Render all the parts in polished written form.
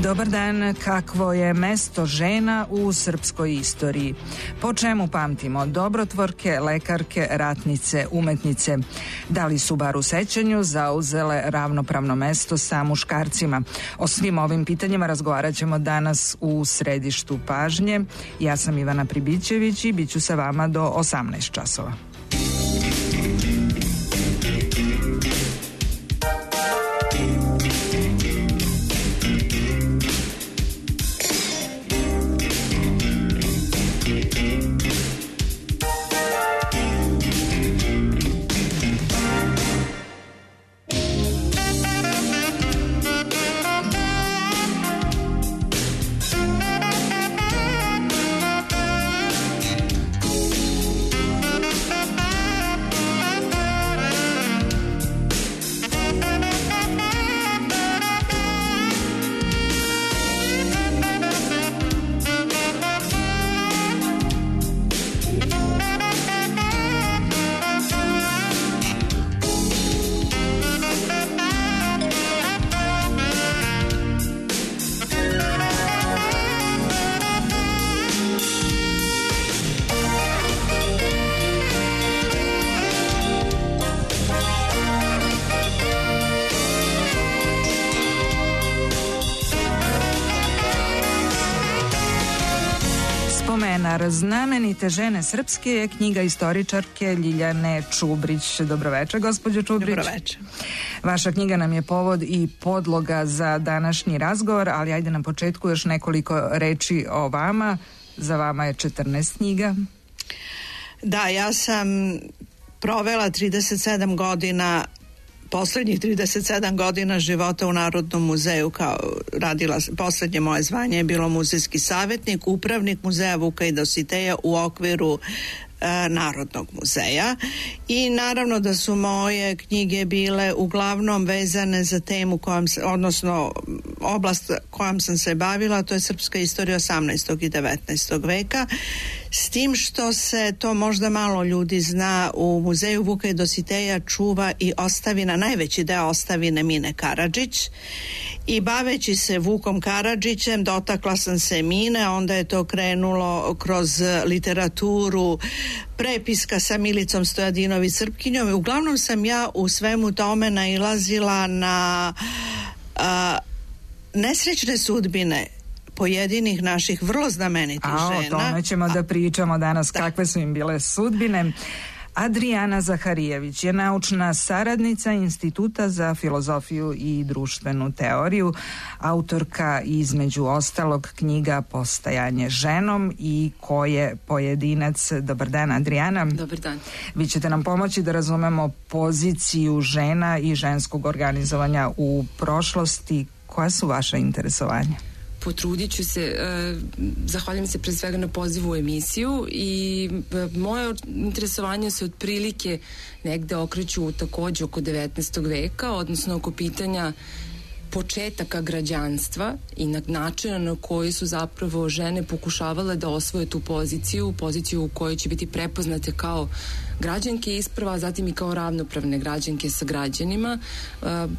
Dobar dan, kakvo je mesto žena u srpskoj istoriji? Po čemu pamtimo dobrotvorke, lekarke, ratnice, umetnice? Da li su bar u sećanju zauzele ravnopravno mesto sa muškarcima? O svim ovim pitanjima razgovarat ćemo danas u središtu pažnje. Ja sam Ivana Pribićević i bit ću sa vama do 18 časova. Znamenite žene srpske je knjiga istoričarke Ljiljane Čubrić. Dobroveče, gospođo Čubrić. Dobroveče. Vaša knjiga nam je povod i podloga za današnji razgovor, ali ajde na početku još nekoliko reči o vama. Za vama je 14 knjiga. Da, ja sam provela 37 godina, poslednjih 37 godina života u Narodnom muzeju, kao radila, poslednje moje zvanje je bilo muzejski savjetnik, upravnik muzeja Vuka i Dositeja u okviru Narodnog muzeja, i naravno da su moje knjige bile uglavnom vezane za temu odnosno oblast kojom sam se bavila, to je srpska istorija 18. i 19. veka, s tim što se to možda malo ljudi zna, u muzeju Vuka i Dositeja čuva i ostavina, najveći deo ostavine Mine Karadžić, i baveći se Vukom Karadžićem dotakla sam se Mine, onda je to krenulo kroz literaturu, prepiska sa Milicom Stojadinović Srpkinjom, i uglavnom sam ja u svemu tome nailazila na nesrećne sudbine pojedinih naših vrlo znamenitih žena. O tome ćemo da pričamo danas, kakve su im bile sudbine. Adrijana Zaharijević je naučna saradnica Instituta za filozofiju i društvenu teoriju, autorka između ostalog knjiga Postajanje ženom i Ko je pojedinac. Dobar dan, Adrijana. Dobar dan. Vi ćete nam pomoći da razumemo poziciju žena i ženskog organizovanja u prošlosti. Koja su vaša interesovanja? Potrudit ću se, zahvaljujem se pre svega na pozivu u emisiju, i moje interesovanje se otprilike negde okreću takođe oko 19. veka, odnosno oko pitanja početaka građanstva i načina na koji su zapravo žene pokušavale da osvoje tu poziciju u kojoj će biti prepoznate kao građanke isprva, a zatim i kao ravnopravne građanke sa građanima.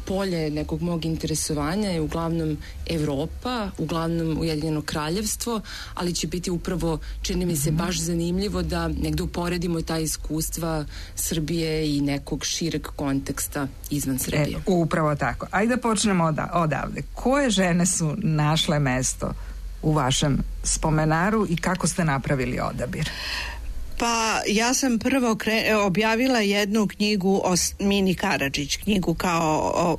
Polje nekog mog interesovanja je uglavnom Evropa, uglavnom Ujedinjeno kraljevstvo, ali će biti upravo, čini mi se, baš zanimljivo da negde uporedimo ta iskustva Srbije i nekog šireg konteksta izvan Srbije. Upravo tako. Ajde da počnemo odavde. Koje žene su našle mesto u vašem spomenaru i kako ste napravili odabir? Pa ja sam prvo objavila jednu knjigu o Mini Karadžić, knjigu kao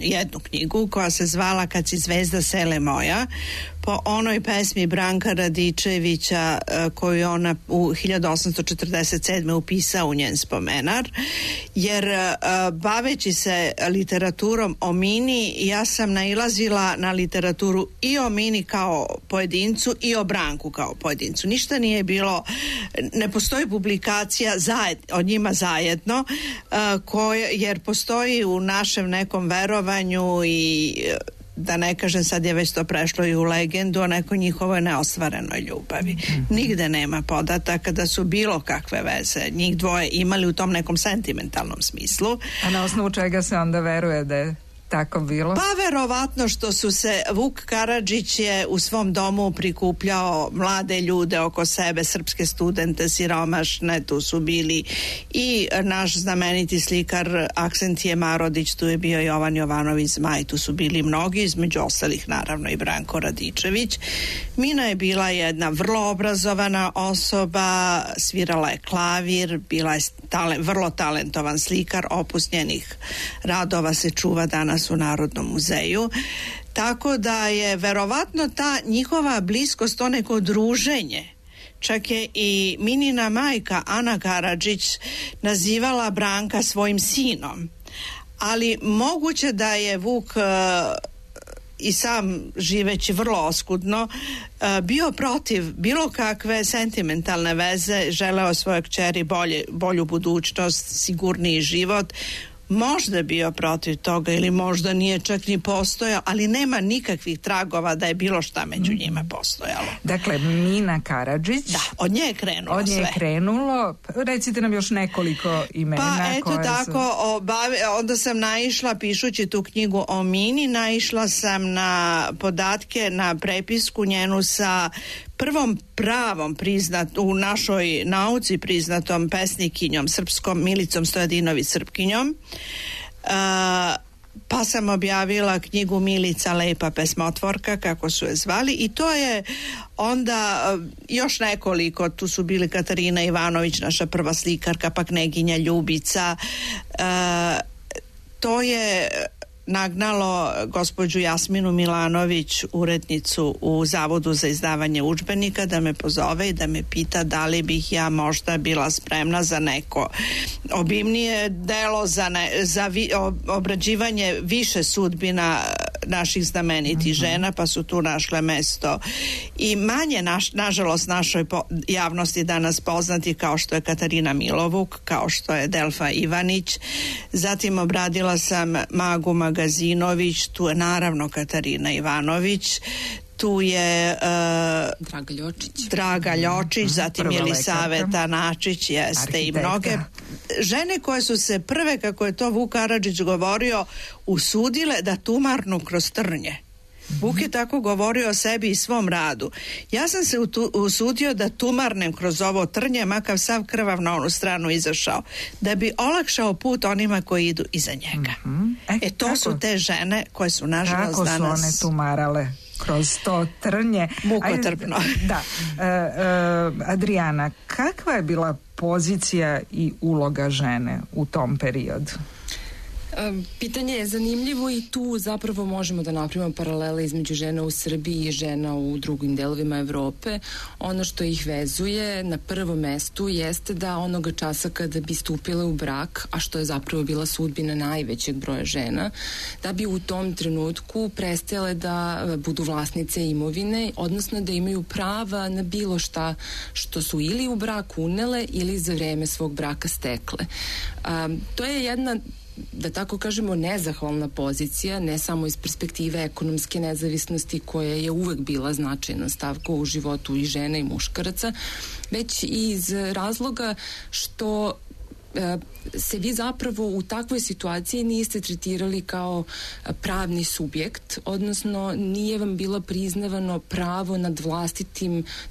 jednu knjigu koja se zvala Kad si zvezda sele moja, po onoj pesmi Branka Radičevića koju ona u 1847. upisao u njen spomenar, jer baveći se literaturom o Mini, ja sam nailazila na literaturu i o Mini kao pojedincu i o Branku kao pojedincu. Ništa nije bilo, ne postoji publikacija o njima zajedno, jer postoji u našem nekom verovanju i da ne kažem, sad je već to prešlo i u legendu o nekoj njihovoj neostvarenoj ljubavi. Nigde nema podataka da su bilo kakve veze njih dvoje imali u tom nekom sentimentalnom smislu. A na osnovu čega se onda veruje da je tako bilo? Pa verovatno što su se, Vuk Karadžić je u svom domu prikupljao mlade ljude oko sebe, srpske studente, siromašne, tu su bili i naš znameniti slikar Aksentije Marodić, tu je bio Jovan Jovanović Zmaj, tu su bili mnogi, između ostalih naravno i Branko Radičević. Mina je bila jedna vrlo obrazovana osoba, svirala je klavir, bila je vrlo talentovan slikar, opus njenih radova se čuva danas u Narodnom muzeju. Tako da je verovatno ta njihova bliskost, to neko druženje. Čak je i Minina majka Ana Karadžić nazivala Branka svojim sinom. Ali moguće da je Vuk i sam živeći vrlo oskudno bio protiv bilo kakve sentimentalne veze, želeo svojoj kćeri bolju budućnost, sigurniji život. Možda bio protiv toga ili možda nije čak ni postojao, ali nema nikakvih tragova da je bilo šta među njima postojalo. Dakle, Mina Karadžić. Da, od nje je krenulo sve. Od nje je krenulo. Recite nam još nekoliko imena. Pa eto tako, onda sam naišla, pišući tu knjigu o Mini, naišla sam na podatke, na prepisku njenu sa prvom pravom u našoj nauci priznatom pesnikinjom srpskom, Milicom Stojadinović Srpkinjom. Pa sam objavila knjigu Milica lepa pesmotvorka, kako su je zvali, i to je onda još nekoliko, tu su bili Katarina Ivanović, naša prva slikarka, pa Kneginja Ljubica. To je nagnalo gospođu Jasminu Milanović, urednicu u Zavodu za izdavanje udžbenika, da me pozove i da me pita da li bih ja možda bila spremna za neko obimnije delo, za obrađivanje više sudbina naših znamenitih žena, pa su tu našle mesto i manje nažalost našoj javnosti danas poznati, kao što je Katarina Milovuk, kao što je Delfa Ivanić. Zatim obradila sam Magu Magazinović, tu je naravno Katarina Ivanović, tu je Draga Ljočić, zatim Jelisaveta Načić, jeste, arhitekta. I mnoge žene koje su se prve, kako je to Vuk Karadžić govorio, usudile da tumarnu kroz trnje. Vuk je tako govorio o sebi i svom radu. Ja sam se usudio da tumarnem kroz ovo trnje, makav sav krvav na onu stranu izašao, da bi olakšao put onima koji idu iza njega. To su te žene koje su nažalost danas... Kako su one tumarale kroz to trnje? Mukotrpno. Da. Adrijana, kakva je bila pozicija i uloga žene u tom periodu? Pitanje je zanimljivo i tu zapravo možemo da napravimo paralele između žena u Srbiji i žena u drugim delovima Evrope. Ono što ih vezuje na prvom mestu jeste da onoga časa kada bi stupile u brak, a što je zapravo bila sudbina najvećeg broja žena, da bi u tom trenutku prestale da budu vlasnice imovine, odnosno da imaju prava na bilo šta što su ili u brak unele ili za vreme svog braka stekle. To je jedna, da tako kažemo, nezahvalna pozicija, ne samo iz perspektive ekonomske nezavisnosti koja je uvek bila značajna stavka u životu i žena i muškaraca, već i iz razloga što se vi zapravo u takvoj situaciji niste tretirali kao pravni subjekt, odnosno nije vam bilo priznavano pravo nad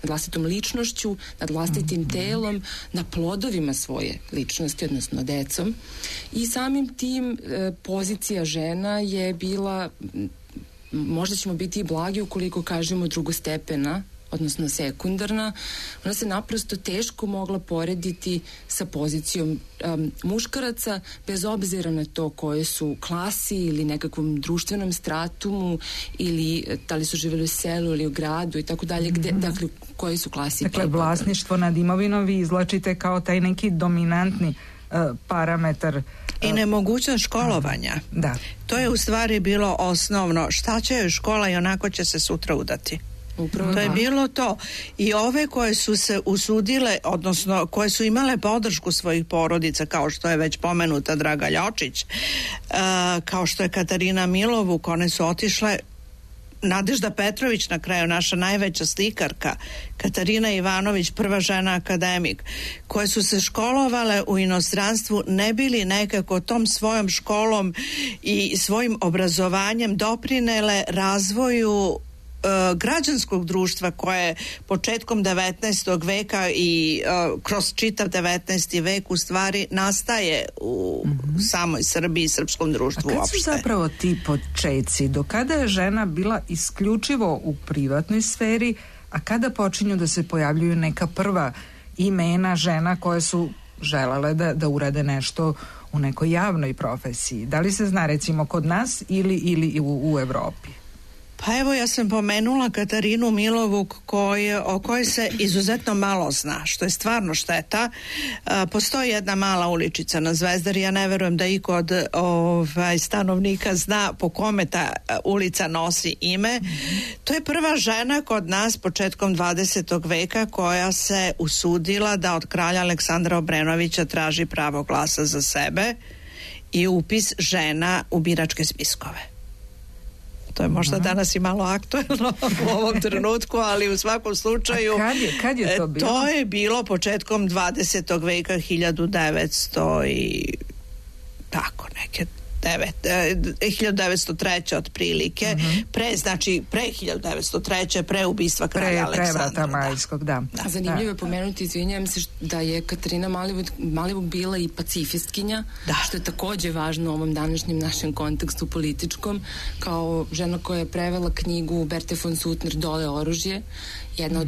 vlastitom ličnošću, nad vlastitim telom, na plodovima svoje ličnosti, odnosno decom. I samim tim pozicija žena je bila, možda ćemo biti i blagi ukoliko kažemo drugostepena, odnosno sekundarna. Ona se naprosto teško mogla porediti sa pozicijom muškaraca, bez obzira na to koje su klasi ili nekakvom društvenom stratumu ili da li su živjeli u selu ili u gradu i tako dalje, dakle koje su klasi. Dakle, vlasništvo nad imovinom vi izvlačite kao taj neki dominantni parametar. I nemogućnost školovanja. Da. To je u stvari bilo osnovno. Šta će joj škola i onako će se sutra udati. Upravo to je bilo to. I ove koje su se usudile, odnosno koje su imale podršku svojih porodica, kao što je već pomenuta Draga Ljočić, kao što je Katarina Milovuk, one su otišle Nadežda Petrović, na kraju naša najveća slikarka, Katarina Ivanović, prva žena akademik, koje su se školovale u inostranstvu, ne bili nekako tom svojom školom i svojim obrazovanjem doprinele razvoju građanskog društva koje početkom 19. veka i kroz čitav 19. vek u stvari nastaje u samoj Srbiji i srpskom društvu uopšte. A kad su zapravo ti počeci? Do kada je žena bila isključivo u privatnoj sferi, a kada počinju da se pojavljuju neka prva imena žena koje su želele da urade nešto u nekoj javnoj profesiji? Da li se zna recimo kod nas ili u Evropi? Pa evo, ja sam pomenula Katarinu Milovuk o kojoj se izuzetno malo zna, što je stvarno šteta. Postoji jedna mala uličica na Zvezdari, ja ne verujem da iko od stanovnika zna po kome ta ulica nosi ime. To je prva žena kod nas početkom 20. veka koja se usudila da od kralja Aleksandra Obrenovića traži pravo glasa za sebe i upis žena u biračke spiskove. To je možda danas i malo aktuelno u ovom trenutku, ali u svakom slučaju... A kad je to bilo? To je bilo početkom 20. veka, 1900 i tako neke 1903. otprilike, pre 1903. pre ubistva kralja Aleksandra. Pre vrata Majskog, da. Zanimljivo je pomenuti, izvinjavam se, da je Katarina Malivuk bila i pacifistkinja, što je takođe važno u ovom današnjem našem kontekstu političkom, kao žena koja je prevela knjigu Berte von Suttner Dole oružje, jedna od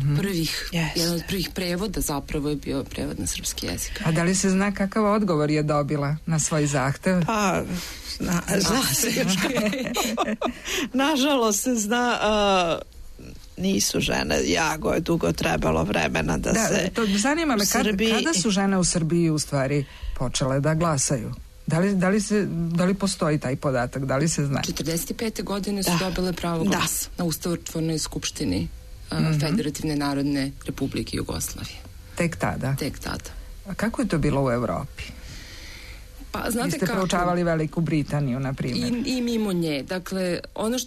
prvih prevoda zapravo je bio prevod na srpski jezik. A da li se zna kakav odgovor je dobila na svoj zahtev? Pa, zna se. Nažalost se zna, nisu žene, jako je dugo trebalo vremena da se... Zanima me, kada su žene u Srbiji u stvari počele da glasaju? Da li postoji taj podatak? Da li se zna? 45. godine su dobile pravo glasa na Ustavotvornoj skupštini Federativne narodne republike Jugoslavije. Tek tada? Tek tada. A kako je to bilo u Evropi? Pa, znate, vi ste proučavali Veliku Britaniju, na primjer. I mimo nje. Dakle, ono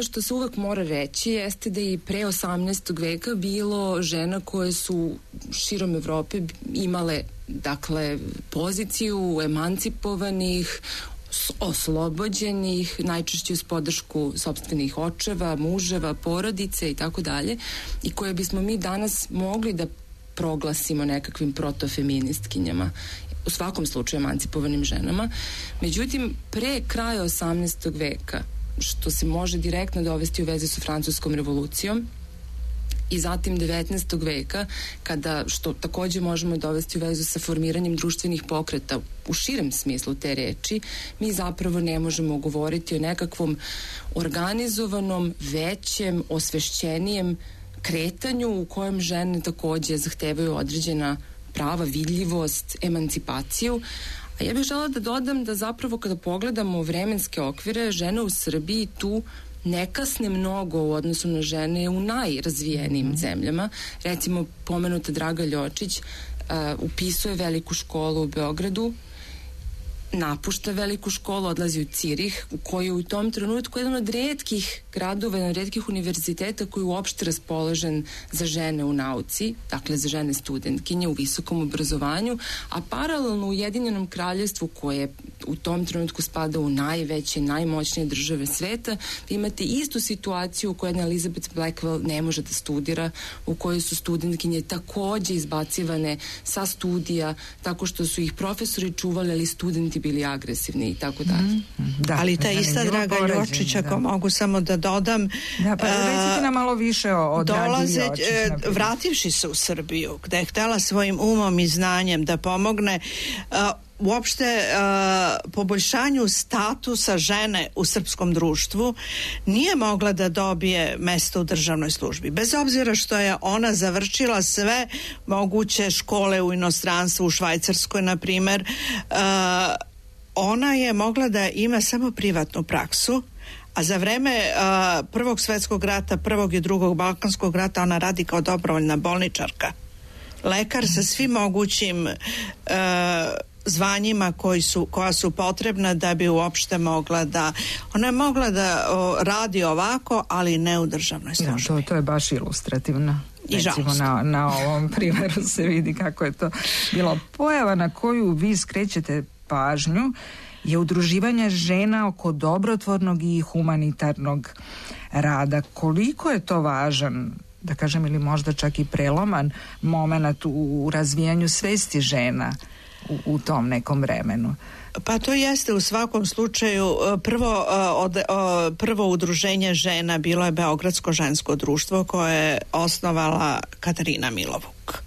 što se uvek mora reći jeste da i pre 18. veka bilo žena koje su širom Evrope imale, dakle, poziciju emancipovanih, oslobođenih, najčešće uz podršku sopstvenih očeva, muževa, porodice i tako dalje, i koje bismo mi danas mogli da proglasimo nekakvim protofeministkinjama, u svakom slučaju emancipovanim ženama. Međutim, pre kraja 18. veka, što se može direktno dovesti u vezi sa Francuskom revolucijom, i zatim 19. veka, što takođe možemo dovesti u vezu sa formiranjem društvenih pokreta u širem smislu te reči, mi zapravo ne možemo govoriti o nekakvom organizovanom, većem, osvešćenijem kretanju u kojem žene takođe zahtevaju određena prava, vidljivost, emancipaciju. A ja bih želela da dodam da zapravo kada pogledamo vremenske okvire, žene u Srbiji tu ne kasne mnogo u odnosu na žene u najrazvijenijim zemljama. Recimo, pomenuta Draga Ljočić upisuje veliku školu u Beogradu, napušta veliku školu, odlazi u Cirih, u koji je u tom trenutku jedan od retkih gradova, jedan od retkih univerziteta koji je uopšte raspoložen za žene u nauci, dakle za žene studentkinje u visokom obrazovanju, a paralelno u Ujedinjenom kraljevstvu, koje u tom trenutku spada u najveće, najmoćnije države sveta, vi imate istu situaciju u kojoj jedna Elizabeth Blackwell ne može da studira, u kojoj su studentkinje takođe izbacivane sa studija, tako što su ih profesori čuvali, ali studenti bili agresivni i tako dalje. Ali ta ista Draga Ljočić, ako mogu samo da dodam... Da, pa recite nam malo više o Dragi Ljočić. Vrativši se u Srbiju, gde je htela svojim umom i znanjem da pomogne uopšte poboljšanju statusa žene u srpskom društvu, nije mogla da dobije mesto u državnoj službi. Bez obzira što je ona završila sve moguće škole u inostranstvu, u Švajcarskoj, na primer, ona je mogla da ima samo privatnu praksu, a za vreme Prvog svetskog rata, Prvog i Drugog Balkanskog rata ona radi kao dobrovoljna bolničarka. Lekar sa svim mogućim zvanjima koja su potrebna da bi uopšte mogla da, ona je mogla da radi ovako, ali ne u državnoj službi. Ja, to je baš ilustrativno. Recimo na ovom primjeru se vidi kako je to bilo. Pojava na koju vi skrećete pažnju je udruživanje žena oko dobrotvornog i humanitarnog rada. Koliko je to važan, da kažem, ili možda čak i preloman moment u razvijanju svesti žena u tom nekom vremenu? Pa to jeste u svakom slučaju. Prvo udruženje žena bilo je Beogradsko žensko društvo koje je osnovala Katarina Milovuk.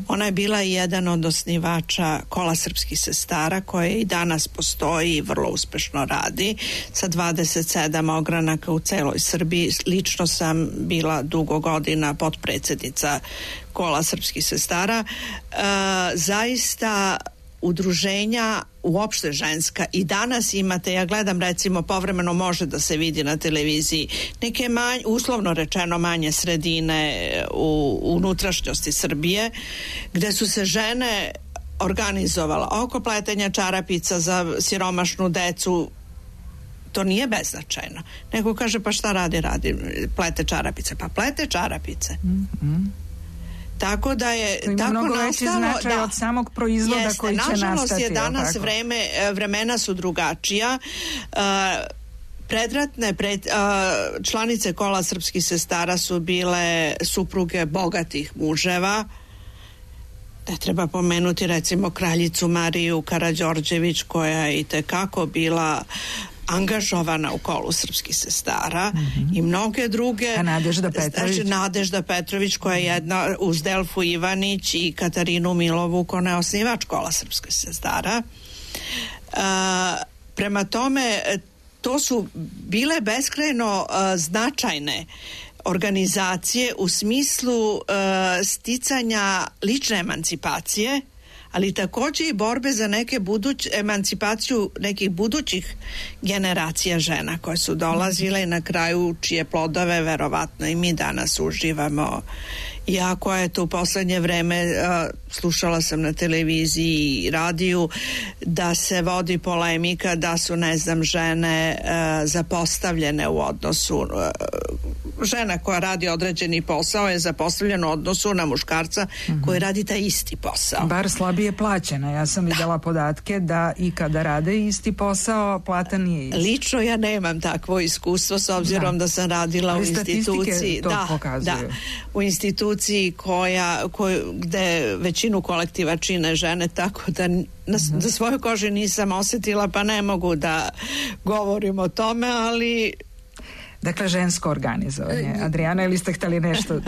Ona je bila jedan od osnivača Kola srpskih sestara koje i danas postoji i vrlo uspešno radi sa 27 ogranaka u celoj Srbiji. Lično sam bila dugo godina potpredsednica Kola srpskih sestara. Zaista udruženja uopšte ženska i danas imate, ja gledam recimo povremeno može da se vidi na televiziji neke uslovno rečeno manje sredine u unutrašnjosti Srbije gde su se žene organizovala oko pletenja čarapica za siromašnu decu. To nije beznačajno. Neko kaže pa šta radi? Plete čarapice. Pa plete čarapice. Tako da je to ima tako mnogo veći značaj od samog proizvoda jeste, koji će nastati. Nažalost je danas vremena su drugačija. Predratne članice Kola srpskih sestara su bile supruge bogatih muževa. Ne treba pomenuti recimo kraljicu Mariju Karađorđević koja je itekako bila angažovana u Kolu srpskih sestara i mnoge druge. A Nadežda Petrović koja je jedna uz Delfu Ivanić i Katarinu Milovuk, ona je osnivač Kola srpskih sestara. Prema tome to su bile beskrajno značajne organizacije u smislu sticanja lične emancipacije, ali također i borbe za emancipaciju nekih budućih generacija žena koje su dolazile i na kraju čije plodove verovatno i mi danas uživamo. Iako je to u poslednje vreme, slušala sam na televiziji i radiju da se vodi polemika da su, ne znam, žene zapostavljene u odnosu, žena koja radi određeni posao je zapostavljena u odnosu na muškarca koji radi taj isti posao. Bar slabije plaćena. Ja sam vidjela podatke da i kada rade isti posao, plata nije isti. Lično ja nemam takvo iskustvo s obzirom da sam radila u instituciji. To pokazuju. U instituciji gde većinu kolektiva čine žene, tako da za svoju kožu nisam osjetila, pa ne mogu da govorim o tome, ali... Dakle, žensko organizovanje. Adriana, ili ste htjeli nešto?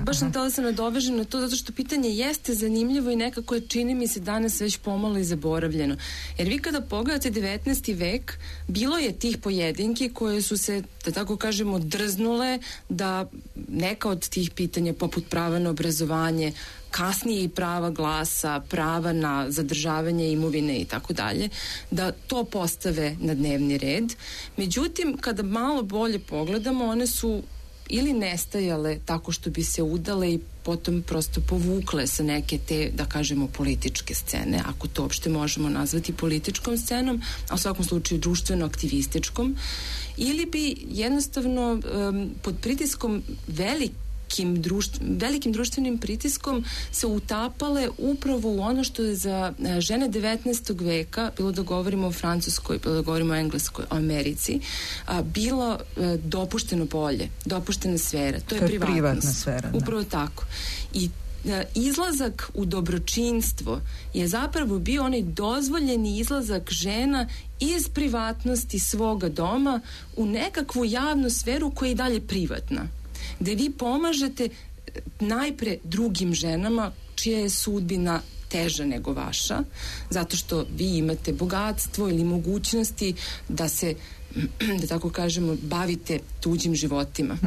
Baš sam htjela da se nadovežem na to, zato što pitanje jeste zanimljivo i nekako je, čini mi se, danas već pomalo i zaboravljeno. Jer vi kada pogledate 19. vek, bilo je tih pojedinki koje su se, da tako kažemo, drznule da neka od tih pitanja, poput prava na obrazovanje, kasnije i prava glasa, prava na zadržavanje imovine i tako dalje, da to postave na dnevni red. Međutim, kada malo bolje pogledamo, one su ili nestajale tako što bi se udale i potom prosto povukle sa neke te, da kažemo, političke scene, ako to uopšte možemo nazvati političkom scenom, a u svakom slučaju društveno-aktivističkom, ili bi jednostavno pod pritiskom velikim društvenim pritiskom se utapale upravo u ono što je za žene 19. veka, bilo da govorimo o Francuskoj, bilo da govorimo o Engleskoj, o Americi, bilo dopušteno polje, dopuštena sfera. To je privatna sfera. Upravo tako. I izlazak u dobročinstvo je zapravo bio onaj dozvoljeni izlazak žena iz privatnosti svoga doma u nekakvu javnu sferu koja je i dalje privatna, gde vi pomažete najpre drugim ženama čija je sudbina teža nego vaša, zato što vi imate bogatstvo ili mogućnosti da se, da tako kažemo, bavite tuđim životima.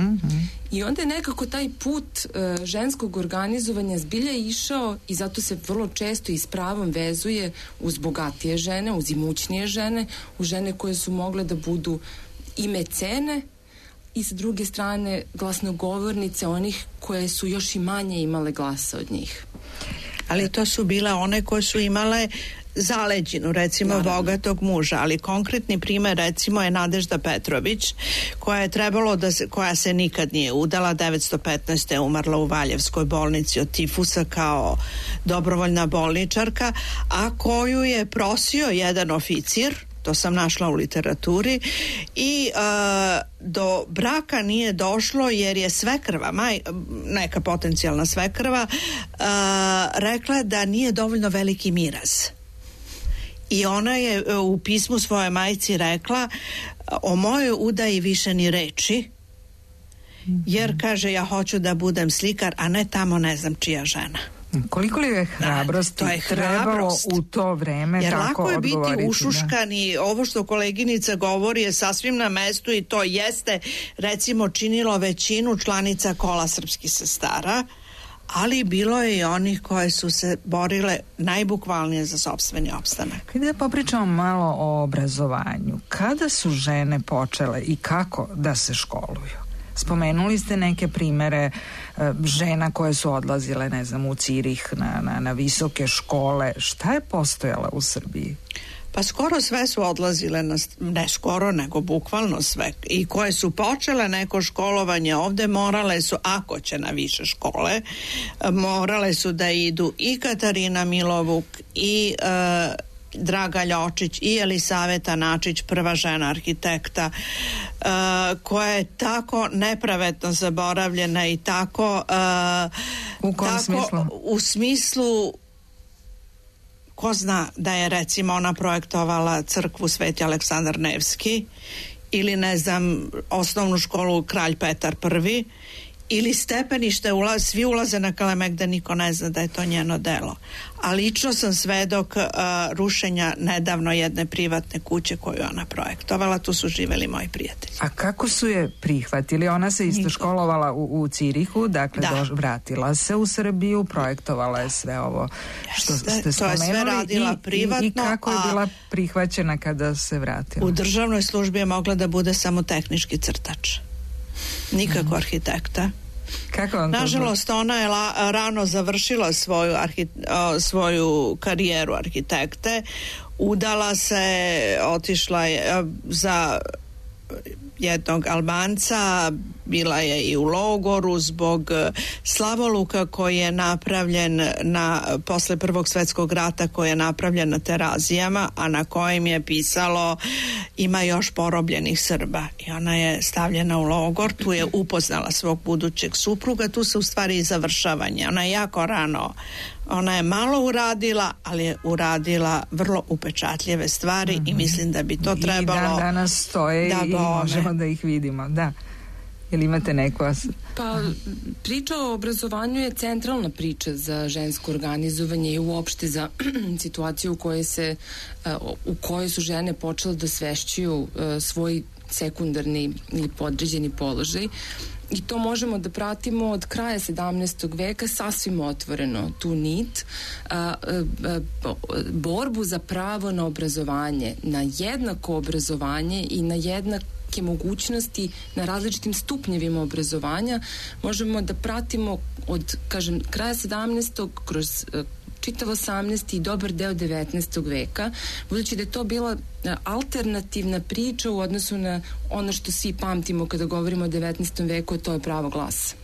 I onda je nekako taj put ženskog organizovanja zbilja išao i zato se vrlo često i s pravom vezuje uz bogatije žene, uz imućnije žene, uz žene koje su mogle da budu i mecene i s druge strane glasnogovornice onih koje su još i manje imale glasa od njih. Ali to su bile one koje su imale zaleđinu, recimo bogatog muža, ali konkretni primer recimo je Nadežda Petrović, koja je trebalo koja se nikad nije udala, 915. je umrla u Valjevskoj bolnici od tifusa kao dobrovoljna bolničarka, a koju je prosio jedan oficir, to sam našla u literaturi, i do braka nije došlo jer je svekrva, neka potencijalna svekrva, rekla da nije dovoljno veliki miraz. I ona je u pismu svoje majci rekla: o mojoj udaji više ni reči, jer kaže ja hoću da budem slikar, a ne tamo ne znam čija žena. Koliko li je hrabrosti trebalo u to vreme jer tako odgovoriti? Jer lako je biti ušuškan i ovo što koleginica govori je sasvim na mestu i to jeste recimo činilo većinu članica Kola srpskih sestara, ali bilo je i onih koje su se borile najbukvalnije za sopstveni opstanak. Da popričamo malo o obrazovanju. Kada su žene počele i kako da se školuju? Spomenuli ste neke primere žena koje su odlazile, ne znam, u Cirih na visoke škole. Šta je postojala u Srbiji? Pa skoro sve su odlazile, ne skoro, nego bukvalno sve. I koje su počele neko školovanje ovde, morale su, ako će na više škole, morale su da idu i Katarina Milovuk i Draga Ljočić i Elisaveta Načić, prva žena arhitekta, koja je tako nepravedno zaboravljena i tako u kom smislu? U smislu, ko zna da je recimo ona projektovala crkvu Sveti Aleksandar Nevski ili ne znam osnovnu školu Kralj Petar I ili stepenište, svi ulaze na Kalemegde, niko ne zna da je to njeno delo. A lično sam svedok rušenja nedavno jedne privatne kuće koju ona projektovala, tu su živeli moji prijatelji. A kako su je prihvatili? Ona se isto školovala u Cirihu, dakle vratila se u Srbiju, projektovala je sve ovo što ste spomenuli. To je sve radila privatno. I kako je bila prihvaćena kada se vratila? U državnoj službi je mogla da bude samo tehnički crtač. Nikako arhitekta. Nažalost, ona je rano završila svoju karijeru arhitekte, udala se, otišla je za jednog Albanca, bila je i u logoru zbog slavoluka koji je napravljen posle Prvog svjetskog rata, koji je napravljen na Terazijama, a na kojem je pisalo ima još porobljenih Srba, i ona je stavljena u logor. Tu je upoznala svog budućeg supruga, tu se u stvari i završavanje. Ona je jako rano, ona je malo uradila, ali je uradila vrlo upečatljive stvari i mislim da bi to trebalo... I danas stoje i možemo da ih vidimo, da. Ili imate neko... Pa, priča o obrazovanju je centralna priča za žensko organizovanje i uopšte za situaciju u kojoj su žene počele da svešćuju svoj sekundarni ili podređeni položaj. I to možemo da pratimo od kraja 17. veka sasvim otvoreno, tu nit, borbu za pravo na obrazovanje, na jednako obrazovanje i na jednake mogućnosti na različitim stupnjevima obrazovanja možemo da pratimo od, kažem, kraja 17. kroz čitav 18. i dobar deo 19. veka, budući da je to bila alternativna priča u odnosu na ono što svi pamtimo kada govorimo o 19. veku, to je pravo glasa.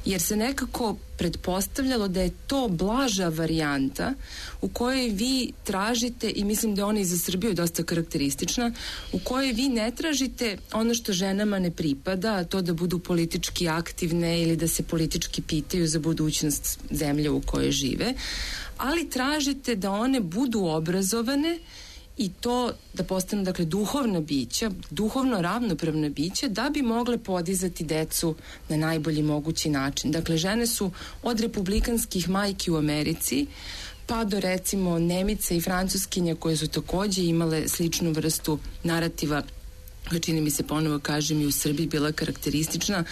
Jer se nekako pretpostavljalo da je to blaža varijanta u kojoj vi tražite, i mislim da ona i za Srbiju je dosta karakteristična, u kojoj vi ne tražite ono što ženama ne pripada, a to da budu politički aktivne ili da se politički pitaju za budućnost zemlje u kojoj žive, ali tražite da one budu obrazovane i to da postanu, dakle, duhovna bića, duhovno ravnopravna bića, da bi mogle podizati decu na najbolji mogući način. Dakle, žene su od republikanskih majki u Americi pa do, recimo, Nemica i Francuskinja koje su takođe imale sličnu vrstu narativa, čini mi se, ponovo kažem, i u Srbiji bila karakteristična,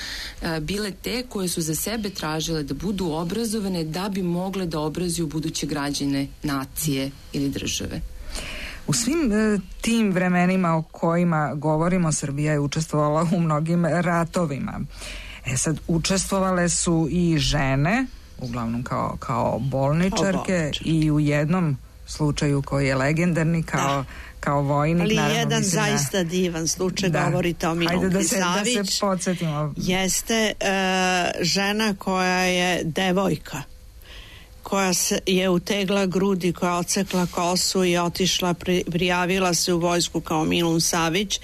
bile te koje su za sebe tražile da budu obrazovane da bi mogle da obrazuju buduće građane nacije ili države. U svim tim vremenima o kojima govorimo, Srbija je učestvovala u mnogim ratovima. Sad, učestvovale su i žene, uglavnom kao bolničarke, i u jednom slučaju koji je legendarni kao vojnik. Ali naravno, jedan zaista divan slučaj, govorite o Milunki Savić. Da se podsjetimo. Jeste žena koja je devojka, koja je utegla grudi, koja odsekla kosu i otišla, prijavila se u vojsku kao Milun Savić,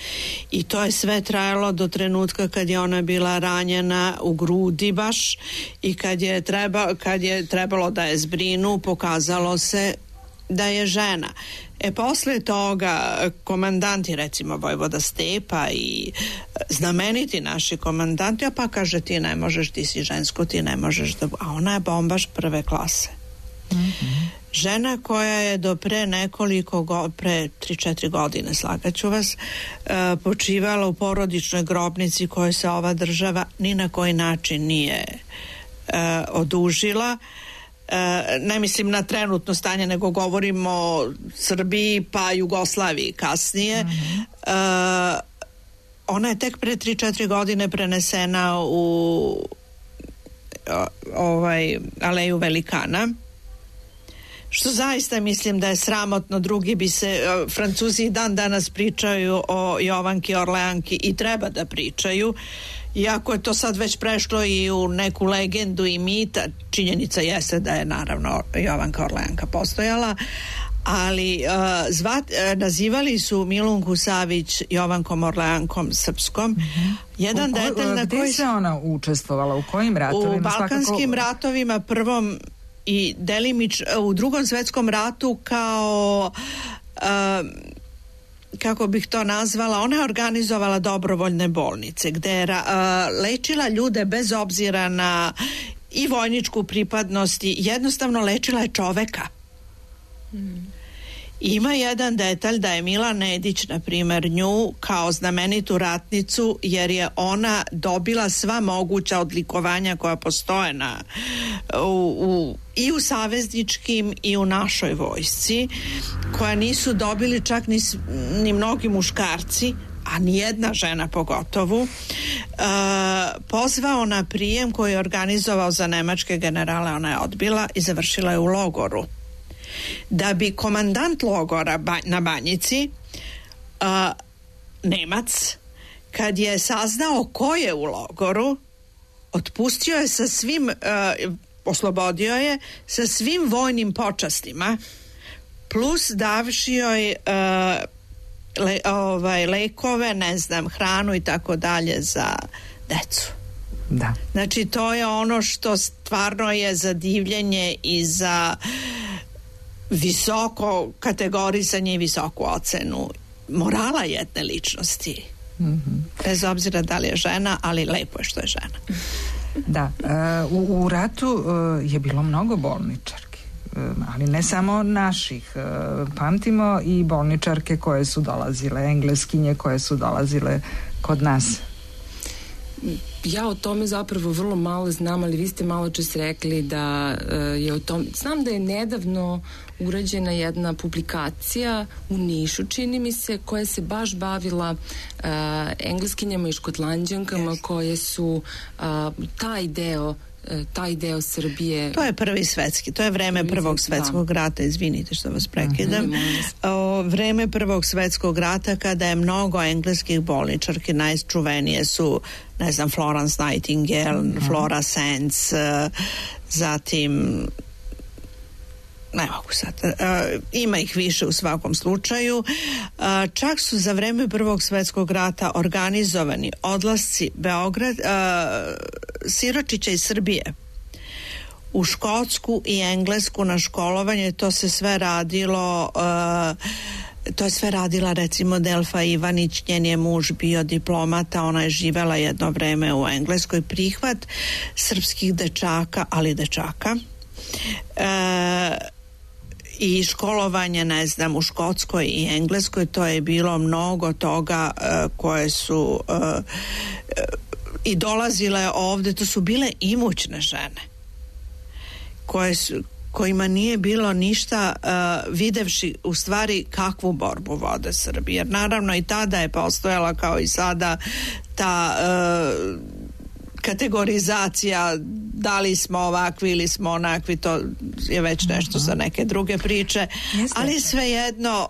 i to je sve trajalo do trenutka kad je ona bila ranjena u grudi baš, i kad je trebalo da je zbrinu, pokazalo se da je žena. Posle toga komandanti, recimo Vojvoda Stepa i znameniti naši komandanti, pa kaže ti ne možeš, ti si žensko, ti ne možeš da... A ona je bombaš prve klase. Žena koja je do pre 3-4 godine, slagaću vas, počivala u porodičnoj grobnici kojoj se ova država ni na koji način nije odužila. Ne mislim na trenutno stanje, nego govorim o Srbiji pa Jugoslaviji kasnije. Ona je tek pre 3-4 godine prenesena u Aleju Velikana, što zaista mislim da je sramotno. Drugi bi se, Francuzi i dan danas pričaju o Jovanki Orleanki i treba da pričaju, iako je to sad već prešlo i u neku legendu i mita. Činjenica jeste da je naravno Jovanka Orleanka postojala, ali nazivali su Milunku Savić Jovankom Orleankom srpskom. Jedan detalj na koji... Gdje se ona učestvovala? U kojim ratovima? U Balkanskim ratovima, prvom i u Drugom svetskom ratu, kao kako bih to nazvala, ona je organizovala dobrovoljne bolnice gde je lečila ljude bez obzira na i vojničku pripadnost, i jednostavno lečila je čoveka. Ima jedan detalj da je Mila Nedić, na primjer, nju kao znamenitu ratnicu, jer je ona dobila sva moguća odlikovanja koja postoje i u savezničkim i u našoj vojsci, koja nisu dobili čak ni mnogi muškarci, a nijedna žena pogotovo. Pozvao na prijem koji je organizovao za nemačke generale, ona je odbila i završila je u logoru. Da bi komandant logora na Banjici, Nemac, kad je saznao ko je u logoru, otpustio je sa svim, oslobodio je sa svim vojnim počastima, plus davši joj lekove, ne znam, hranu i tako dalje za decu. Da. Znači, to je ono što stvarno je za divljenje i za visoko kategorisanje i visoku ocenu morala jedne ličnosti. Bez obzira da li je žena, ali lepo je što je žena. Da, u ratu je bilo mnogo bolničarki, ali ne samo naših. Pamtimo i bolničarke koje su dolazile, engleskinje koje su dolazile kod nas. Ja o tome zapravo vrlo malo znam, ali vi ste malo čas rekli da je o tom... Znam da je nedavno urađena jedna publikacija u Nišu, čini mi se, koja se baš bavila engleskinjama i škotlanđankama koje su taj deo Srbije. To je prvi svetski, to je vreme Prvog svetskog rata, izvinite što vas prekidam. Vreme Prvog svetskog rata, kada je mnogo engleskih bolničarki, najčuvenije su, ne znam, Florence Nightingale, Flora Sands, zatim ne mogu sad, ima ih više u svakom slučaju. Čak su za vreme Prvog svetskog rata organizovani odlasci siročića iz Srbije u Škotsku i Englesku na školovanje. To se sve radilo, to je sve radila recimo Delfa Ivanić, njen je muž bio diplomata, ona je živela jedno vreme u Engleskoj. Prihvat srpskih dečaka, ali dečaka, i školovanje, ne znam, u Škotskoj i Engleskoj, to je bilo mnogo toga koje su i dolazile ovde. To su bile imućne žene kojima nije bilo ništa, videvši u stvari kakvu borbu vode Srbije. Jer naravno i tada je postojala, kao i sada, ta kategorizacija, da li smo ovakvi ili smo onakvi, to je već nešto za neke druge priče. Ali svejedno,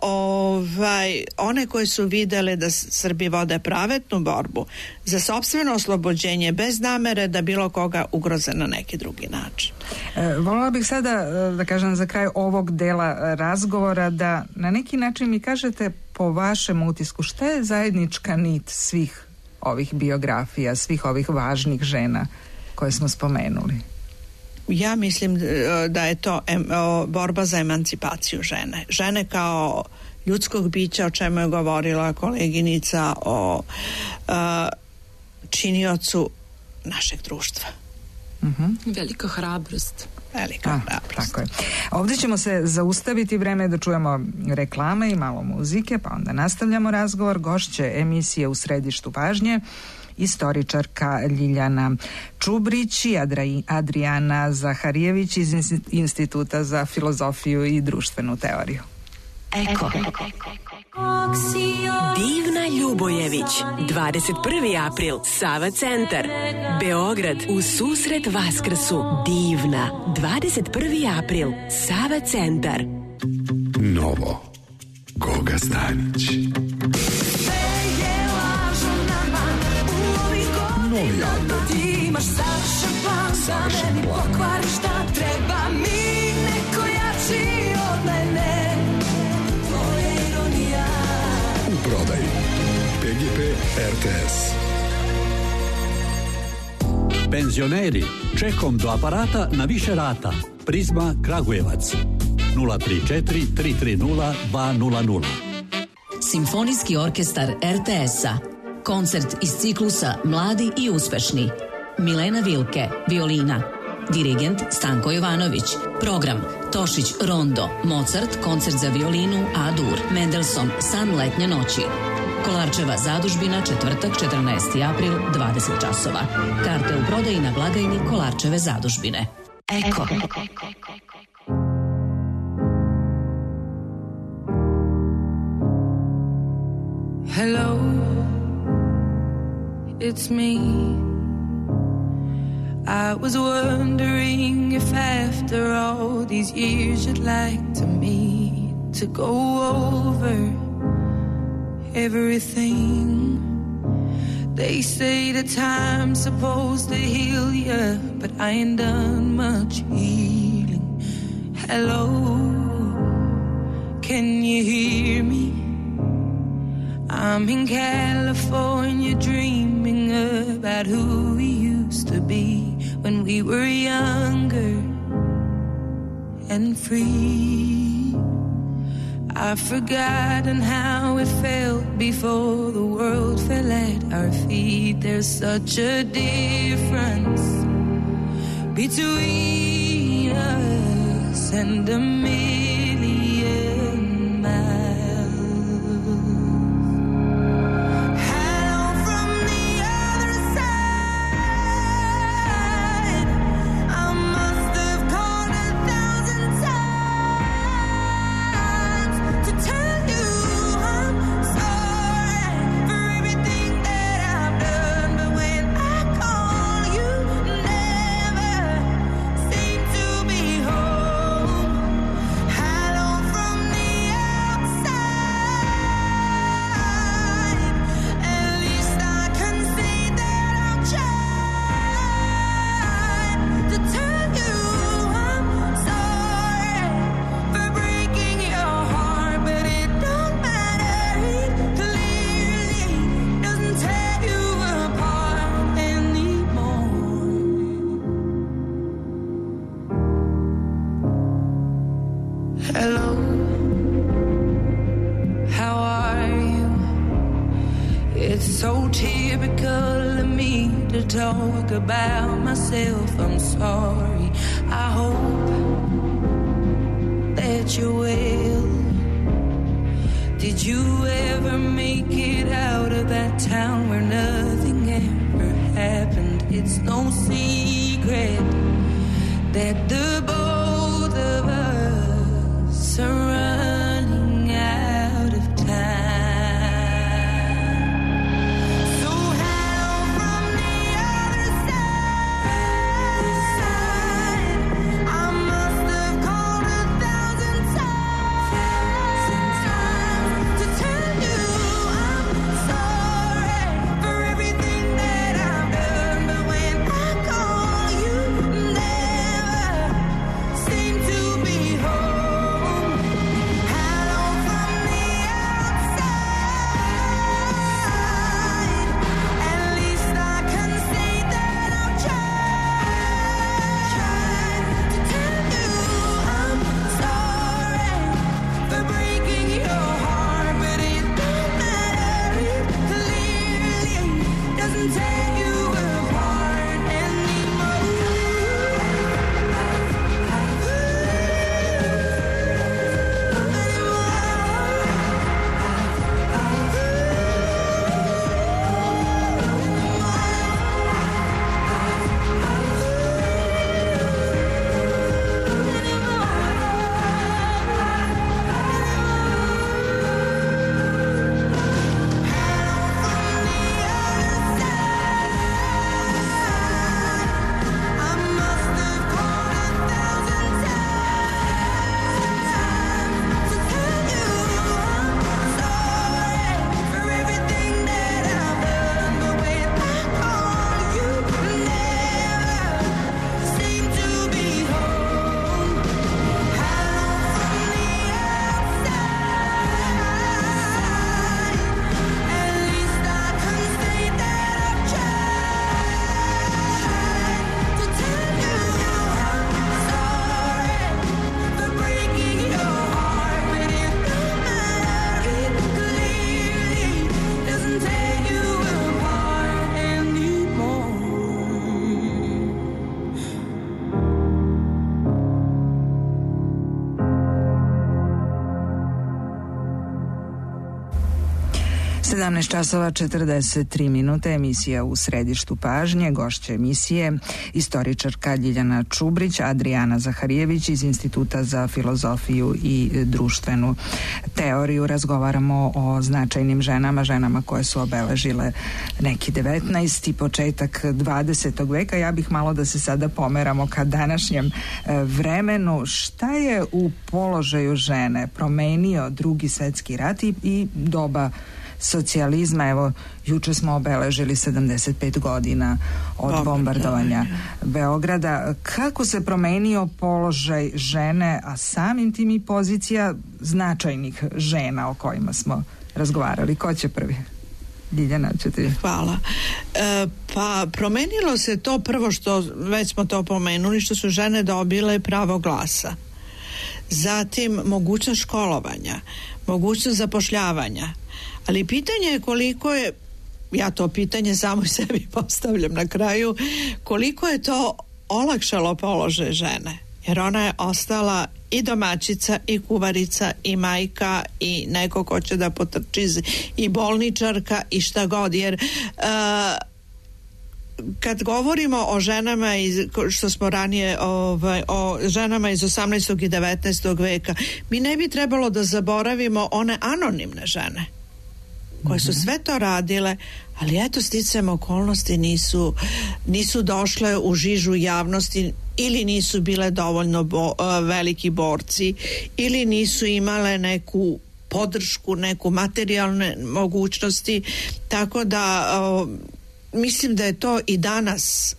one koje su videle da Srbi vode pravednu borbu za sopstveno oslobođenje bez namere da bilo koga ugroze na neki drugi način. Voljela bih sada da kažem za kraj ovog dela razgovora da na neki način mi kažete po vašem utisku šta je zajednička nit svih ovih biografija, svih ovih važnih žena koje smo spomenuli? Ja mislim da je to borba za emancipaciju žene. Žene kao ljudskog bića, o čemu je govorila koleginica, o činiocu našeg društva. Velika hrabrost. Tako je. Ovdje ćemo se zaustaviti, vreme da čujemo reklame i malo muzike, pa onda nastavljamo razgovor. Gošće emisije U središtu pažnje istoričarka Ljiljana Čubrić i Adriana Zaharijević iz Instituta za filozofiju i društvenu teoriju. Eko. Divna Ljubojević, 21. april, Sava centar, Beograd, u susret Vaskrsu. Divna, 21. april, Sava centar. Novo, Goga Stanić. Novi album. Savršen plan. Treba mi neko jači od mene. U prodaji PGP RTS. Penzioneri, čekom do aparata na više rata. Prizma Kragujevac 034 330 200. Simfonijski orkestar RTS-a. Koncert iz ciklusa Mladi i uspešni. Milena Vilke, violina. Dirigent Stanko Jovanović. Program Tošić Rondo, Mozart, koncert za violinu A-dur, Mendelssohn, San letnje noći. Kolarčeva zadužbina, četvrtak, 14. april, 20 časova. Karte u prodaji na blagajni Kolarčeve zadužbine. Eko. Hello, it's me. I was wondering if after all these years you'd like to meet to go over everything. They say the time's supposed to heal ya, but I ain't done much healing. Hello, can you hear me? I'm in California dreaming about who we used to be when we were younger and free. I've forgotten how it felt before the world fell at our feet. There's such a difference between us and a million miles. Talk about myself, I'm sorry. I hope that you're well. Did you ever make it out of that town where nothing ever happened? It's no secret that the both of us are running out of time. So hello from the other side. 17 časova 43 minute, emisija U središtu pažnje, gošća emisije istoričarka Ljiljana Čubrić, Adrijana Zaharijević iz Instituta za filozofiju i društvenu teoriju. Razgovaramo o značajnim ženama koje su obeležile neki 19. i početak 20. veka. Ja bih malo da se sada pomeramo ka današnjem vremenu. Šta je u položaju žene promenio Drugi svetski rat i doba socijalizma? Evo, juče smo obeležili 75 godina od bombardovanja Beograda. Kako se promenio položaj žene, a samim tim i pozicija značajnih žena o kojima smo razgovarali? Ko će prvi? Ljiljana, ćete... Hvala. Pa promenilo se to prvo što, već smo to pomenuli, što su žene dobile pravo glasa. Zatim mogućnost školovanja, mogućnost zapošljavanja. Ali pitanje je koliko je, ja to pitanje samo sebi postavljam na kraju, koliko je to olakšalo položaj žene. Jer ona je ostala i domaćica, i kuvarica, i majka, i neko ko će da potrči, i bolničarka, i šta god. Jer kad govorimo o ženama što smo ranije o ženama iz 18. i 19. veka, mi ne bi trebalo da zaboravimo one anonimne žene koje su sve to radile, ali eto, sticajem okolnosti nisu došle u žižu javnosti, ili nisu bile dovoljno veliki borci, ili nisu imale neku podršku, neku materijalne mogućnosti, tako da mislim da je to i danas.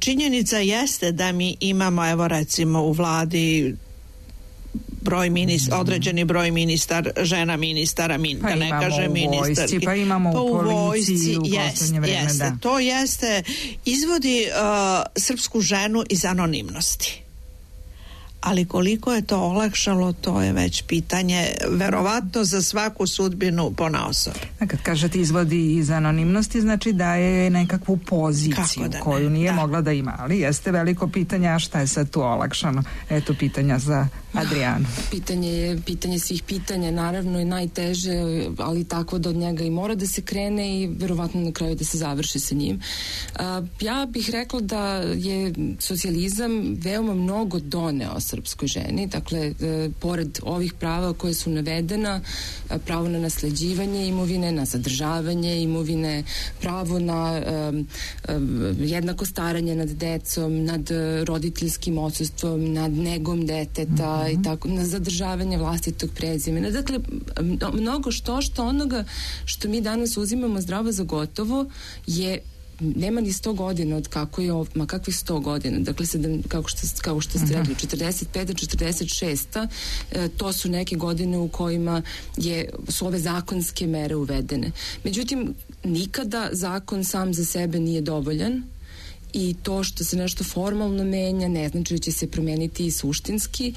Činjenica jeste da mi imamo, evo recimo u vladi određeni broj žena ministara, da ne kaže ministarki. Pa imamo u policiji u poslednje vreme, jeste, da. To jeste, izvodi srpsku ženu iz anonimnosti. Ali koliko je to olakšalo, to je već pitanje verovatno za svaku sudbinu ponaosob. Kad kažete izvodi iz anonimnosti, znači daje je nekakvu poziciju koju nije mogla da ima, ali jeste veliko pitanje, a šta je sad tu olakšano? Eto pitanja za Adrijanu. Pitanje svih pitanja, naravno je najteže, ali tako da od njega i mora da se krene i verovatno na kraju da se završi sa njim. Ja bih rekla da je socijalizam veoma mnogo doneo srpskoj ženi, dakle, pored ovih prava koje su navedena, pravo na nasleđivanje imovine, na zadržavanje imovine, pravo na jednako staranje nad decom, nad roditeljskim odsustvom, nad negom deteta i tako, na zadržavanje vlastitog prezimena. Dakle, mnogo što onoga što mi danas uzimamo zdravo za gotovo je nema ni 100 godina od kako je ma kakvih 100 godina, dakle kao što ste rekli, 45. 46. To su neke godine u kojima su ove zakonske mere uvedene. Međutim, nikada zakon sam za sebe nije dovoljan i to što se nešto formalno menja ne znači da će se promeniti i suštinski.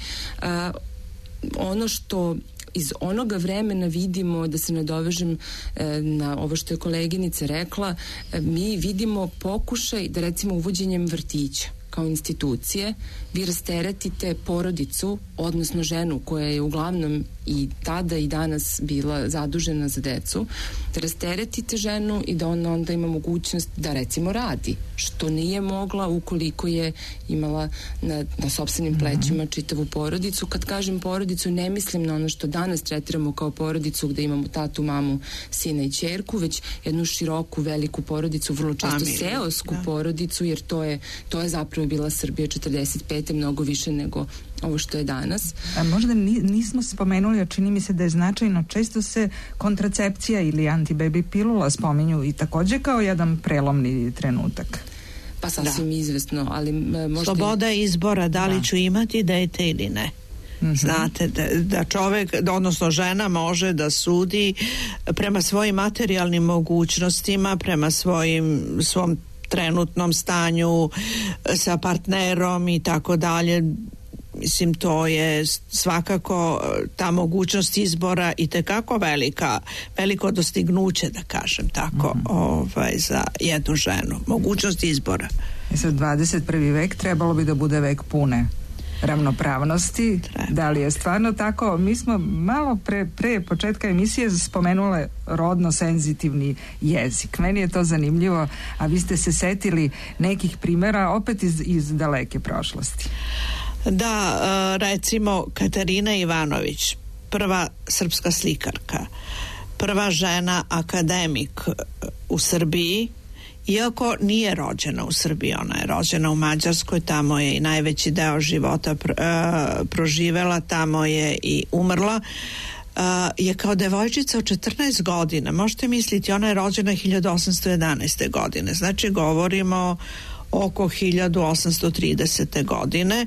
Ono što iz onoga vremena vidimo, da se nadovežem na ovo što je koleginica rekla, mi vidimo pokušaj da recimo uvođenjem vrtića kao institucije vi rasteretite porodicu, odnosno ženu koja je uglavnom i tada i danas bila zadužena za decu, da rasteretite ženu i da ona onda ima mogućnost da recimo radi, što nije mogla ukoliko je imala na sopstvenim plećima čitavu porodicu. Kad kažem porodicu, ne mislim na ono što danas tretiramo kao porodicu gde imamo tatu, mamu, sina i ćerku, već jednu široku, veliku porodicu, vrlo često seosku porodicu, jer to je zapravo bila Srbija 45. mnogo više nego ovo što je danas. A možda nismo spomenuli, a čini mi se da je značajno, često se kontracepcija ili antibaby pilula spominju i takođe kao jedan prelomni trenutak. Pa sasvim izvesno, ali možda... Sloboda izbora, da li ću imati dete ili ne. Znate, da čovek, odnosno žena može da sudi prema svojim materijalnim mogućnostima, prema svom trenutnom stanju sa partnerom i tako dalje. Mislim, to je svakako ta mogućnost izbora i tekako veliko dostignuće, da kažem tako, za jednu ženu. Mogućnost izbora. Sad 21. vek trebalo bi da bude vek pune ravnopravnosti. Da li je stvarno tako? Mi smo malo pre početka emisije spomenule rodno senzitivni jezik. Meni je to zanimljivo, a vi ste se setili nekih primjera opet iz daleke prošlosti. Da, recimo Katarina Ivanović, prva srpska slikarka, prva žena akademik u Srbiji, iako nije rođena u Srbiji, ona je rođena u Mađarskoj, tamo je i najveći deo života proživela, tamo je i umrla, je kao devojčica od 14 godina, možete misliti, ona je rođena 1811. godine, znači govorimo oko 1830. godine,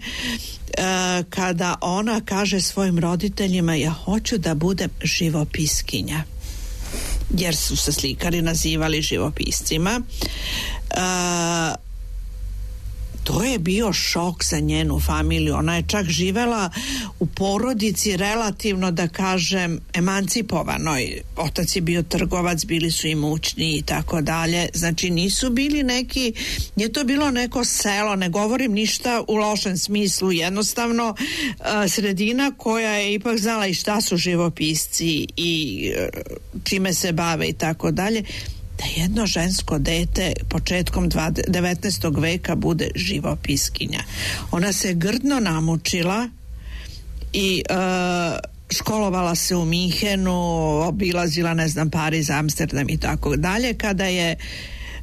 kada ona kaže svojim roditeljima: ja hoću da budem živopiskinja, jer su se slikari nazivali živopiscima. To je bio šok za njenu familiju. Ona je čak živela u porodici relativno, da kažem, emancipovanoj. Otac je bio trgovac, bili su imućni i tako dalje. Znači nisu bili neki, nije to bilo neko selo, ne govorim ništa u lošem smislu, jednostavno sredina koja je ipak znala i šta su živopisci i čime se bave i tako dalje. Da jedno žensko dete početkom 19. veka bude živopiskinja. Ona se grdno namučila i školovala se u Minhenu, obilazila, ne znam, Pariz, Amsterdam i tako dalje. Kada je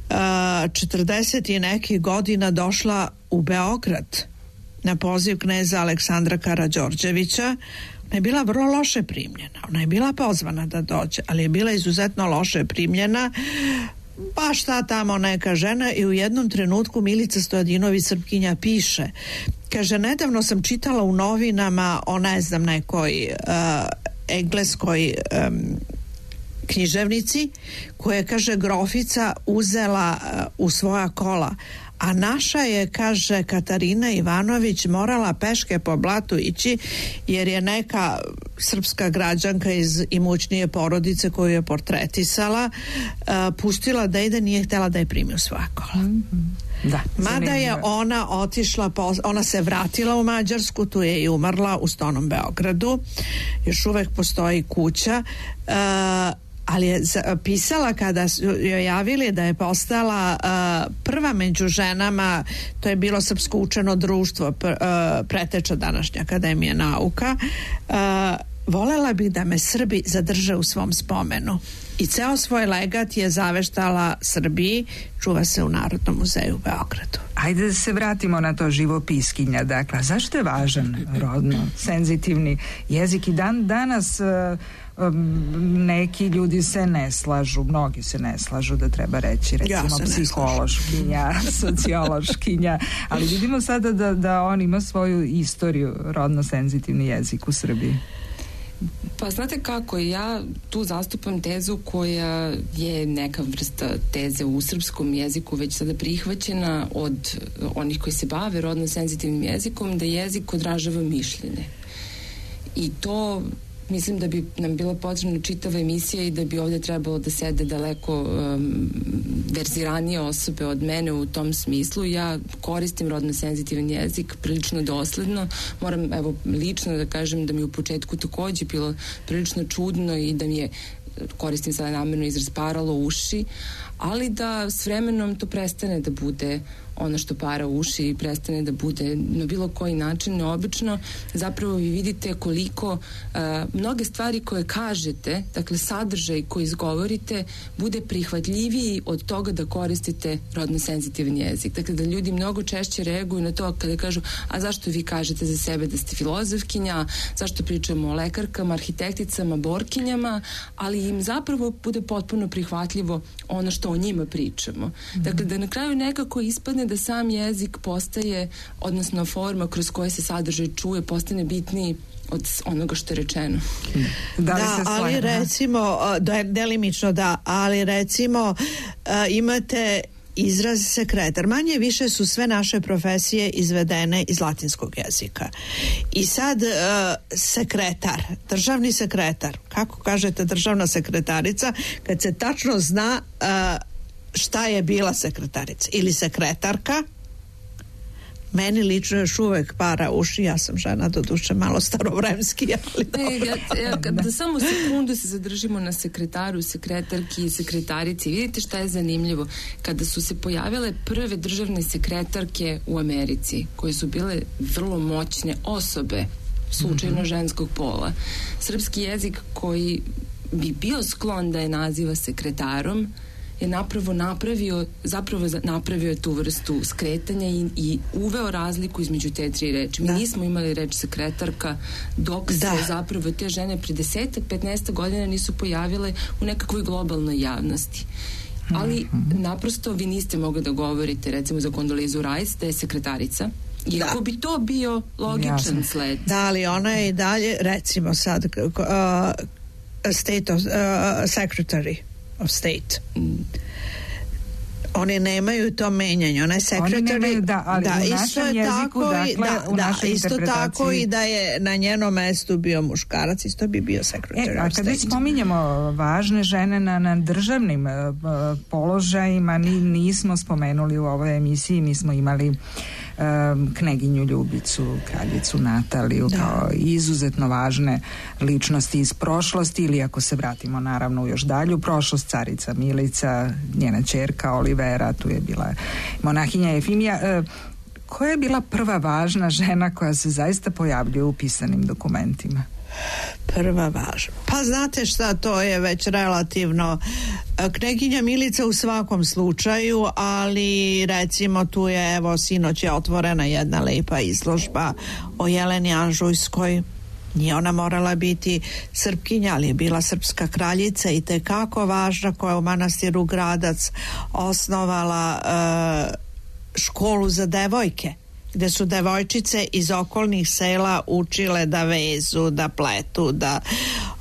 40 i nekih godina došla u Beograd na poziv kneza Aleksandra Karađorđevića, ona je bila vrlo loše primljena. Ona je bila pozvana da dođe, ali je bila izuzetno loše primljena. Pa šta tamo neka žena, i u jednom trenutku Milica Stojadinović, Srpkinja, piše, kaže: nedavno sam čitala u novinama o, ne znam, nekoj engleskoj književnici koja je, kaže, grofica uzela u svoja kola, a naša je, kaže, Katarina Ivanović, morala peške po blatu ići jer je neka srpska građanka iz imućnije porodice koju je portretisala pustila da ide, nije htjela da je primi u svoja kola. Da, mada je ona otišla, ona se vratila u Mađarsku, tu je i umrla u Stonom Beogradu, još uvek postoji kuća, ali je pisala, kada su joj javili da je postala prva među ženama, to je bilo Srpsko učeno društvo, preteča današnja Akademija nauka, volela bih da me Srbi zadrže u svom spomenu. I ceo svoj legat je zaveštala Srbiji, čuva se u Narodnom muzeju u Beogradu. Ajde da se vratimo na to živopiskinja. Dakle, zašto je važan rodno senzitivni jezik? I danas neki ljudi se ne slažu, mnogi se ne slažu da treba reći, recimo psihološkinja, sociološkinja, ali vidimo sada da on ima svoju istoriju, rodno senzitivni jezik u Srbiji. Pa znate kako, ja tu zastupam tezu koja je neka vrsta teze u srpskom jeziku već sada prihvaćena od onih koji se bave rodno senzitivnim jezikom, da jezik odražava mišljenje. I to mislim da bi nam bila potrebna čitava emisija i da bi ovdje trebalo da sede daleko verziranije osobe od mene u tom smislu. Ja koristim rodno senzitivan jezik prilično dosledno. Moram, evo, lično da kažem da mi u početku takođe bilo prilično čudno i da mi je, koristim sada namjerno izraz, paralo uši, ali da s vremenom to prestane da bude ono što para uši i prestane da bude na bilo koji način neobično. Zapravo vi vidite koliko mnoge stvari koje kažete, dakle sadržaj koji izgovorite, bude prihvatljiviji od toga da koristite rodno senzitivan jezik. Dakle, da ljudi mnogo češće reaguju na to kada kažu: a zašto vi kažete za sebe da ste filozofkinja, zašto pričamo o lekarkama, arhitekticama, borkinjama, ali im zapravo bude potpuno prihvatljivo ono što o njima pričamo. Dakle, da na kraju nekako ispadne da sam jezik postaje, odnosno forma kroz koje se sadržaj čuje, postane bitniji od onoga što je rečeno. Da, ali recimo, delimično da, ali recimo imate izraz sekretar. Manje više su sve naše profesije izvedene iz latinskog jezika. I sad sekretar, državni sekretar, kako kažete državna sekretarica, kad se tačno zna šta je bila sekretarica ili sekretarka, Meni lično još uvek para uši, ja sam žena do duše malo starovremski, ali dobro. Da samo sekundu se zadržimo na sekretaru, sekretarki i sekretarici. Vidite šta je zanimljivo. Kada su se pojavile prve državne sekretarke u Americi, koje su bile vrlo moćne osobe, slučajno ženskog pola, srpski jezik koji bi bio sklon da je naziva sekretarom je napravio tu vrstu skretanja i uveo razliku između te tri reči. Mi nismo imali reč sekretarka dok se zapravo te žene pri 10-15 godina nisu pojavile u nekakvoj globalnoj javnosti. Ali naprosto vi niste mogli da govorite recimo za Kondolizu Rice da je sekretarica. Iako bi to bio logičan sled. Da, ali ona je i dalje recimo sad Secretary of State. Oni nemaju to menjanje, ona je secretary, ali u našem jeziku, u našoj isto tako i da je na njenom mestu bio muškarac, isto bi bio secretary of State. A kada spominjemo važne žene na državnim položajima, nismo spomenuli u ovoj emisiji, mi smo imali kneginju Ljubicu, kraljicu Nataliju, kao izuzetno važne ličnosti iz prošlosti, ili ako se vratimo naravno u još dalju prošlost, carica Milica, njena ćerka Olivera, tu je bila monahinja Jefimija. Koja je bila prva važna žena koja se zaista pojavljuje u pisanim dokumentima? Prva važna. Pa znate šta, to je već relativno. Kneginja Milica u svakom slučaju, ali recimo tu je, evo, sinoć je otvorena jedna lepa izložba o Jeleni Anžujskoj. Nije ona morala biti Srpkinja, ali je bila srpska kraljica i tekako važna, koja je u manastiru Gradac osnovala školu za devojke, gde su devojčice iz okolnih sela učile da vezu, da pletu, da...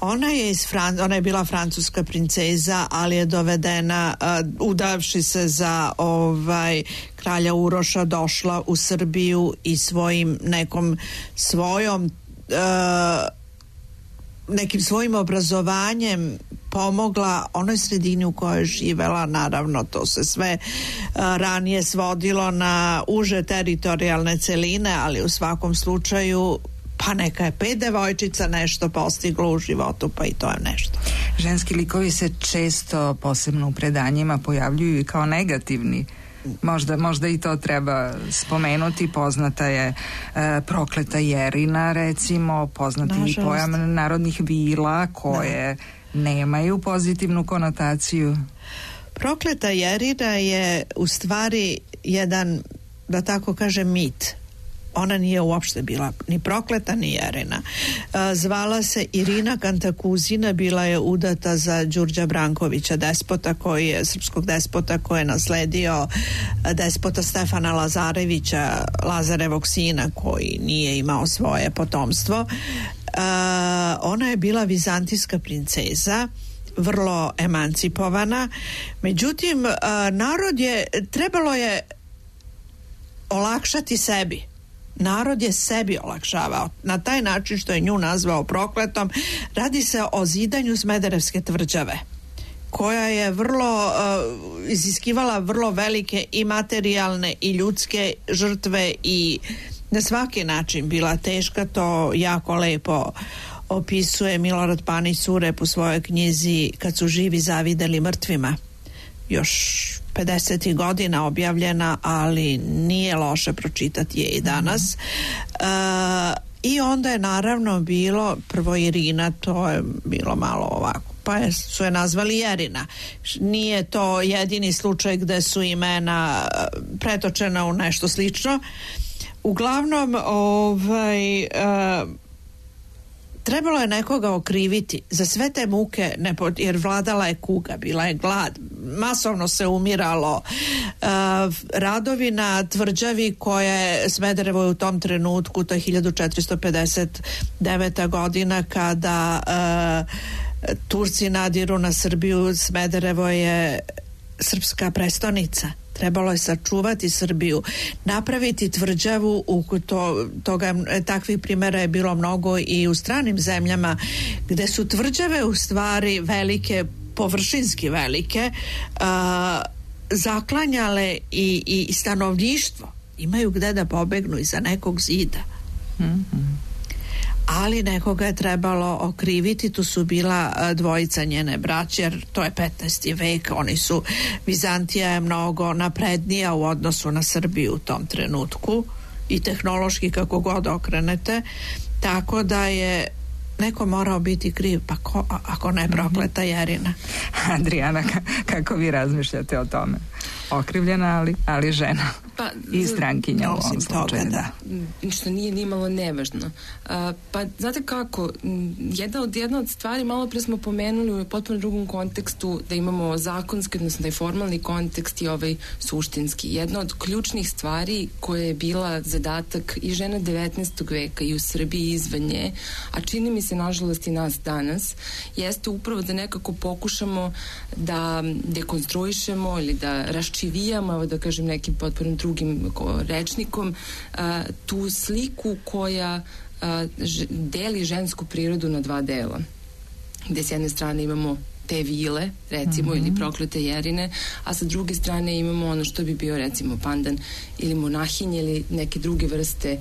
Ona je bila francuska princeza, ali je dovedena, udavši se za kralja Uroša, došla u Srbiju i nekim svojim obrazovanjem pomogla onoj sredini u kojoj je živela. Naravno, to se sve ranije svodilo na uže teritorijalne celine, ali u svakom slučaju pa neka je 5 devojčica nešto postiglo u životu, pa i to je nešto. Ženski likovi se često, posebno u predanjima, pojavljuju i kao negativni. Možda i to treba spomenuti. Poznata je prokleta Jerina, recimo, poznati i pojam narodnih vila koje nemaju pozitivnu konotaciju. Prokleta Jerina je u stvari jedan, da tako kažem, mit. Ona nije uopšte bila ni prokleta ni Jerina. Zvala se Irina Kantakuzina, bila je udata za Đurđa Brankovića, srpskog despota koji je nasledio despota Stefana Lazarevića, Lazarevog sina, koji nije imao svoje potomstvo. Ona je bila vizantijska princeza, vrlo emancipovana. Međutim, trebalo je olakšati sebi. Narod je sebi olakšavao na taj način što je nju nazvao prokletom. Radi se o zidanju Smederevske tvrđave, koja je iziskivala vrlo velike i materijalne i ljudske žrtve i na svaki način bila teška. To jako lepo opisuje Milorad Panić Surep u svojoj knjizi Kad su živi zavideli mrtvima. Još 50. godina objavljena, ali nije loše pročitati je i danas. I onda je naravno bilo prvo Irina, to je bilo malo ovako, pa su je nazvali Jerina. Nije to jedini slučaj gde su imena pretočena u nešto slično. Uglavnom, trebalo je nekoga okriviti za sve te muke, jer vladala je kuga, bila je glad, masovno se umiralo. Radovi na tvrđavi koje Smederevo je u tom trenutku, to je 1459. godina, kada Turci nadiru na Srbiju. Smederevo je srpska prestonica. Trebalo je sačuvati Srbiju, napraviti tvrđavu. Takvih primjera je bilo mnogo i u stranim zemljama, gde su tvrđave u stvari velike, površinski velike, zaklanjale i stanovništvo. imaju gde da pobegnu iza nekog zida. Ali nekoga je trebalo okriviti. Tu su bila dvojica njene braće, jer to je 15. vek, oni su, Vizantija je mnogo naprednija u odnosu na Srbiju u tom trenutku i tehnološki kako god okrenete, tako da je neko morao biti kriv, pa ko, ako ne prokleta Jerina. Adriana, kako vi razmišljate o tome? Okrivljena, ali žena. Pa, i strankinja u ovom slučaju. Da. Što nije nimalo nevažno. Pa znate kako, jedna od stvari, malo pre smo pomenuli u potpuno drugom kontekstu, da imamo zakonski, odnosno da je formalni kontekst i ovaj suštinski. Jedna od ključnih stvari koja je bila zadatak i žena 19. veka i u Srbiji i izvan nje, a čini mi se nažalost i nas danas, jeste upravo da nekako pokušamo da dekonstruišemo ili da raščivijamo, evo da kažem nekim potpuno drugim rečnikom, tu sliku koja deli žensku prirodu na dva dela. Gde s jedne strane imamo te vile, recimo, ili proklete Jerine, a sa druge strane imamo ono što bi bio, recimo, pandan ili monahinje ili neke druge vrste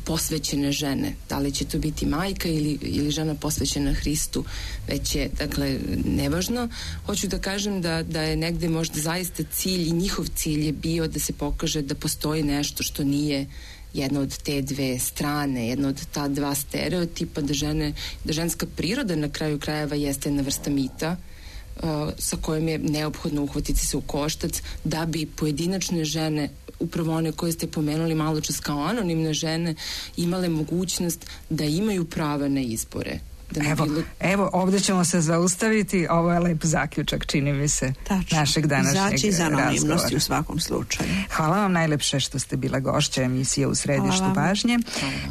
posvećene žene. Da li će to biti majka ili žena posvećena Hristu, već je, dakle, nevažno. Hoću da kažem da je negde možda zaista cilj i njihov cilj je bio da se pokaže da postoji nešto što nije jedna od te dve strane, jedna od ta dva stereotipa, da ženska priroda na kraju krajeva jeste jedna vrsta mita sa kojom je neophodno uhvatiti se u koštac da bi pojedinačne žene, upravo one koje ste pomenuli malo čas kao anonimne žene, imale mogućnost da imaju prava na izbore. Evo, ovdje ćemo se zaustaviti. Ovo je lep zaključak, čini mi se, našeg današnjeg razgovora. Izaći iz anonimnosti u svakom slučaju. Hvala vam najlepše što ste bila gošća emisije U središtu pažnje.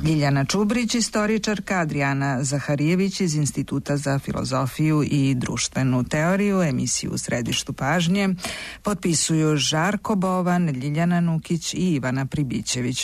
Ljiljana Čubrić, istoričarka, Adriana Zaharijević iz Instituta za filozofiju i društvenu teoriju. Emisiju U središtu pažnje potpisuju Žarko Bovan, Ljiljana Nukić i Ivana Pribićević.